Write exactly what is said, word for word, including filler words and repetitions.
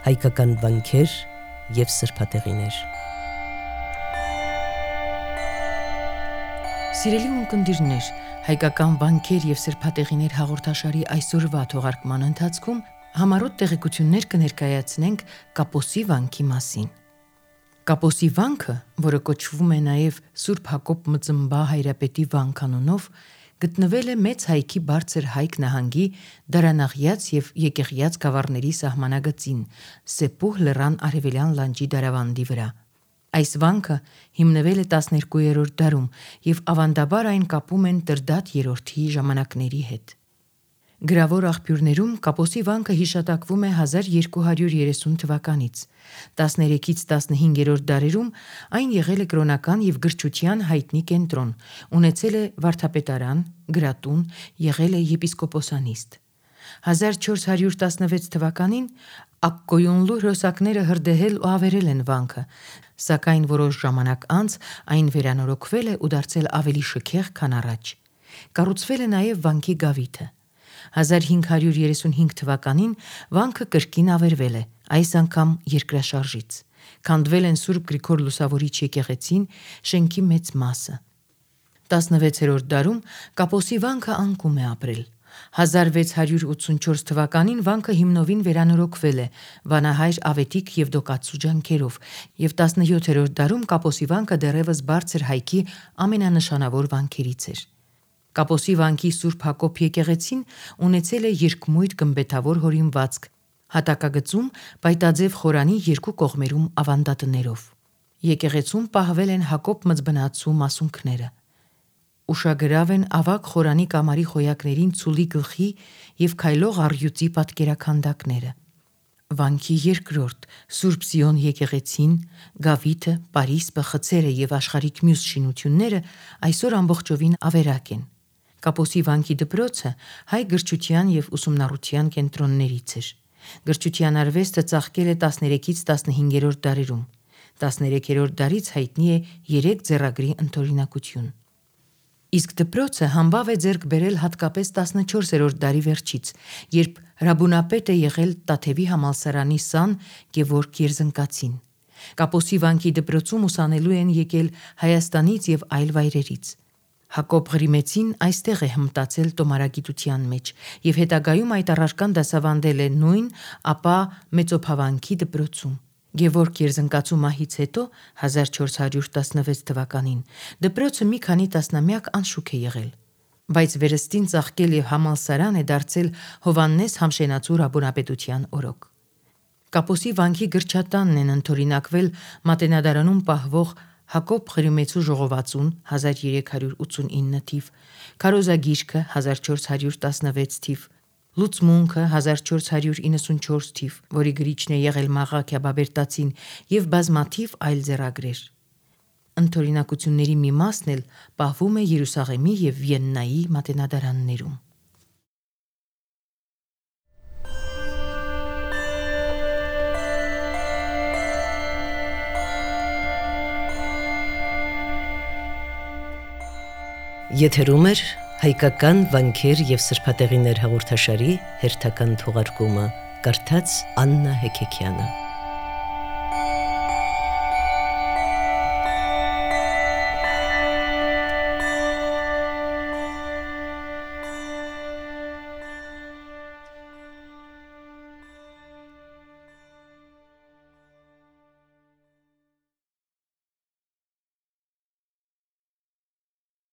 հայկական վանքեր և սրբատեղիներ։ Սիրելի ունկնդիրներ, հայկական վանքեր և սրբատեղիներ հաղորդաշարի այսօրվա թողարկման ընթացքում համառոտ տեղեկություններ կներկայացնենք Կապոսի վանքի մասին։ Կապոսի վանքը, որը կոչվում է նաև Սուրբ Հակոբ Մծմբա Հայրապետի վանք անունով, գտնվել է Մեծ Հայքի Բարձր Հայք նահանգի Դարանաղյաց և Եկեղյաց գավառների սահմանագծին, Սեպուհ լեռան արևելյան լանջի դարավանդի վրա։ Այս վանքը հիմնվել է տասներկուերորդ դարում և ավանդաբար այն կապում են Տրդատ երրորդի ժամանակների հետ։ Գրավոր աղբյուրներում Կապոսի վանքը հիշատակվում է հազար երկու հարյուր երեսուն թվականից։ տասներեքից տասնհինգերորդ դարերում այն եղել է կրոնական և գրչության հայտնի կենտրոն, ունեցել է վարդապետարան, գրատուն, եղել է եպիսկոպոսանիստ։ հազար չորս հարյուր տասնվեց թվականին Ակկոյունլու հրոսակները հրդեհել ու ավերել են վանքը, սակայն որոշ ժամանակ անց այն վերանորոգվել է ու դարձել ավելի շքեղ, քան առաջ։ Կառուցվել է նաև վանքի գավիթը։ հազար հինգ հարյուր երեսունհինգ թվականին վանքը կրկին ավերվել է, այս անգամ երկրաշարժից։ Քանդվել են Սուրբ Գրիգոր Լուսավորիչ եկեղեցին, շենքի մեծ մասը։ տասնվեցերորդ դարում Կապոսի վանքը անկում է ապրել։ հազար վեց հարյուր ութսունչորս թվականին վանքը հիմնովին վերանորոգվել է վանահայր Ավետիք Եվդոկացու ջանքերով, և տասնյոթերորդ դարում Կապոսի վանքը դեռևս Բարձր Հայքի ամենանշանավոր վանքերից էր։ Կապոսի վանքի Սուրբ Հակոբ եկեղեցին ունեցել է երկմույր գմբեթավոր հորինվածք, հատակագծում պայտաձև խորանի երկու կողմերում ավանդատներով։ Եկեղեցում պահվել են Հակոբ մզբնացու մասունքները։ Ուշագրավ են ավագ խորանի կամարի խոյակներին ցուլի գլխի և քայլող առյուծի պատկերաքանդակները։ Վանքի երկրորդ Սուրբ Սիոն եկեղեցին, գավիթը, պարիսպը, խցերը և աշխարհիկ մյուս շինությունները այսօր ամբողջովին ավերակ են։ Կապոսի վանքի դպրոցը հայ գրչության և ուսումնառության կենտրոններից էր։ Գրչության արվեստը ծաղկել է տասներեքից տասնհինգերորդ դարերում։ տասներեքերորդ դարից հայտնի է երեք ձեռագրի ընդօրինակություն։ Իսկ դպրոցը համբավ է ձեռք բերել հատկապես տասնչորսերորդ դարի վերջից, երբ հրաբունապետ է եղել Տաթևի համալսարանի սան Գևորգ Երզնկացին։ Կապոսի վանքի դպրոցում ուսանելու են եկել Հայաստանից և այլ վայրերից։ Հակոբ Ղրիմեցին այստեղ է հմտացել տոմարագիտության մեջ և հետագայում այդ առարկան դասավանդել է նույն, ապա Մեծոփավանքի դպրոցում։ Գևորգ Երզնկացու մահից հետո հազար չորս հարյուր տասնվեց թվականին դպրոցը մի քանի տասնամյակ անշուք է եղել, բայց վերստին ծաղկել և համալսարան է դարձել Հովհաննես Համշենացու Հրաբունապետության օրոք։ Կապոսի վանքի գրչատանն են ընդօրինակվել Մատենադարանում պահվող Հակոբ Ղրիմեցու ժողովածուն հազար երեք հարյուր ութսունինը թիվ, Քարոզագիրքը հազար չորս հարյուր տասնվեց թիվ, Լուծմունքը հազար չորս հարյուր իննսունչորս թիվ, որի գրիչն է եղել Մաղա Քյաբաբերտացին, և բազմաթիվ այլ ձեռագրեր։ Ընդօրինակությունների մի մասն էլ պահվում է Երուսաղեմի և Վիեննայի մատենադարաններում։ Եթերում է հայկական վանքեր և սրբատեղիներ հաղորդաշարի հերթական թողարկումը, կարդաց Աննա Հեքեքյանը։